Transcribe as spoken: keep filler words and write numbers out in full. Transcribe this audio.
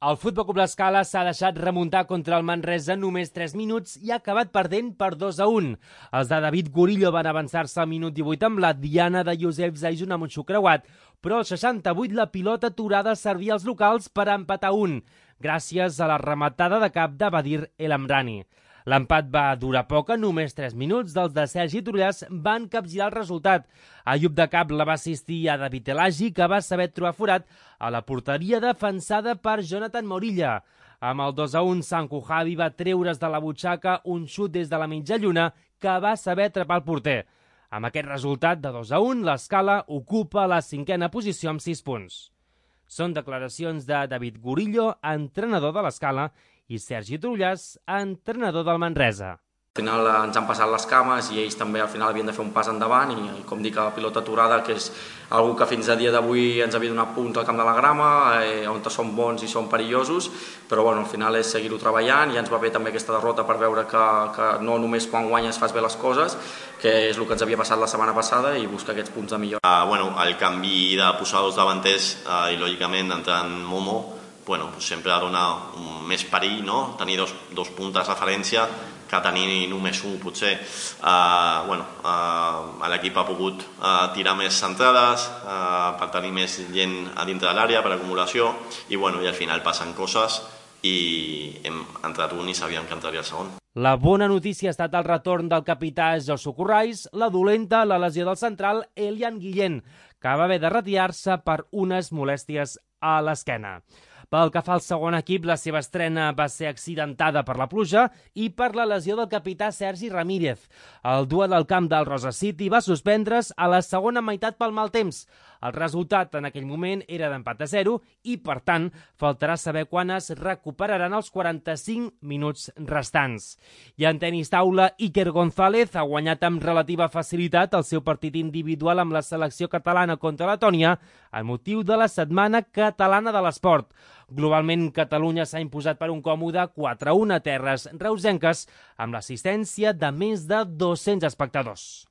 El Futbol Club L'Escala s'ha deixat remuntar contra el Manresa en només tres minuts i ha acabat perdent per dos a un. Els de David Gurillo van avançar-se al minut divuit amb la diana de Josep Zaisun amb un xuc creuat, però al seixanta-vuit la pilota aturada servia als locals per empatar un, gràcies a la rematada de cap de Badir El Amrani. L'empat va durar poc, en només tres minuts dels de Sergi Trullàs van capgirar el resultat. Ayub de Cap la va assistir a David Elagi, que va saber trobar forat a la porteria defensada per Jonathan Morilla. Amb el dos a un, Sanku Javi va treure's de la butxaca un xut des de la mitja lluna que va saber atrapar el porter. Amb aquest resultat de dos a un, l'Escala ocupa la cinquena posició amb sis punts. Són declaracions de David Gurillo, entrenador de l'Escala, i Sergi Trullàs, entrenador del Manresa. Al final ens han passat les cames i ells també al final havien de fer un pas endavant i com dic, la pilota aturada, que és algú que fins a dia d'avui ens havia donat punts al camp de la grama, eh, on són bons i són perillosos, però bueno, al final és seguir-ho treballant i ens va bé també aquesta derrota per veure que, que no només quan guanyes fas bé les coses, que és el que ens havia passat la setmana passada, i buscar aquests punts de millora. Uh, bueno, el canvi de posar els davanters uh, i lògicament entrant Momo, bueno, pues sempre dona més perill, no? Tenir dos, dos puntes de referència que tenir només un, potser. Uh, bueno, uh, l'equip ha pogut uh, tirar més centrades uh, per tenir més gent a dintre de l'àrea, per acumulació, i, bueno, i al final passen coses i hem entrat un i sabíem que entraria el segon. La bona notícia ha estat el retorn del capità Josu Corrais, la dolenta, la lesió del central Elian Guillén, que va haver de retirar-se per unes molèsties a l'esquena. Pel que fa al segon equip, la seva estrena va ser accidentada per la pluja i per la lesió del capità Sergi Ramírez. El duel al camp del Rosa City va suspendre's a la segona meitat pel mal temps. El resultat en aquell moment era d'empat a zero i, per tant, faltarà saber quan es recuperaran els quaranta-cinc minuts restants. I en tenis taula, Iker González ha guanyat amb relativa facilitat el seu partit individual amb la selecció catalana contra Letònia amb motiu de la Setmana Catalana de l'Esport. Globalment, Catalunya s'ha imposat per un còmode quatre a un a terres reusenques amb l'assistència de més de dos-cents espectadors.